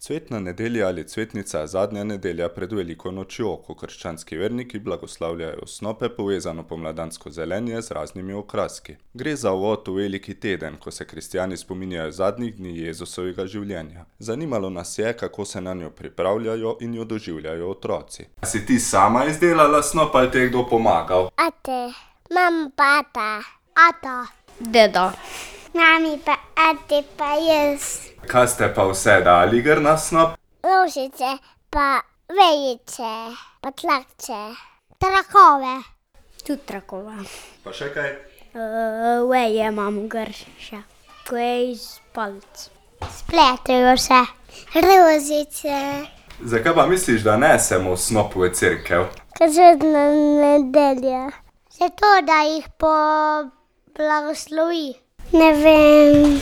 Cvetna nedelja ali cvetnica je zadnja nedelja pred veliko nočjo, ko krščanski verniki blagoslavljajo snope povezano pomladansko zelenje z raznimi okraski. Gre za uvod v veliki teden, ko se kristjani spominjajo zadnjih dni Jezusovega življenja. Zanimalo nas je, kako se nanjo pripravljajo in jo doživljajo otroci. A si ti sama izdelala snop ali ti je kdo pomagal? Ate, mama pa ata, Deda. mami pa ate pa jaz. Kaj ste pa vse dali gor na snop? Rožice pa vejice pa tlakce, trakove. Tudi trakova. Pa še kaj? Veje imam gor še. Ko je iz palic. Spletejo se rožice. Zakaj pa misliš, da nesemo snop v cerkev? Ker cvetna nedelja. Zato, da jih blagoslovi. Ne vem.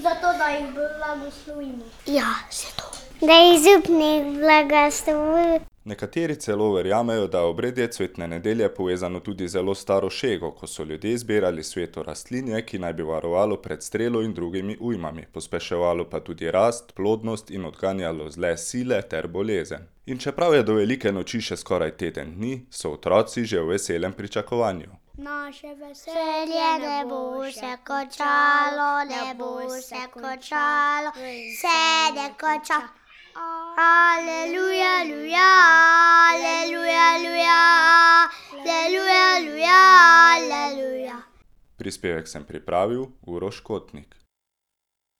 Zato, da jih blagoslovimo. Ja, zato. Da jih župnik blagoslovi. Nekateri celo verjamejo, da je obredje cvetne nedelje povezano tudi z zelo staro šego, ko so ljudje zbirali sveto rastlinje, ki naj bi varovalo pred strelo in drugimi ujmami, pospeševalo pa tudi rast, plodnost in odganjalo zle sile ter bolezen. In čeprav je do velike noči še skoraj teden dni, so otroci že v veselem pričakovanju. Naše Veselje ne bo se končalo, ne bo se končalo, se ne konča. Aleluja, aleluja, aleluja, aleluja, aleluja, aleluja, aleluja. Prispevek sem pripravil Uroš Kotnik.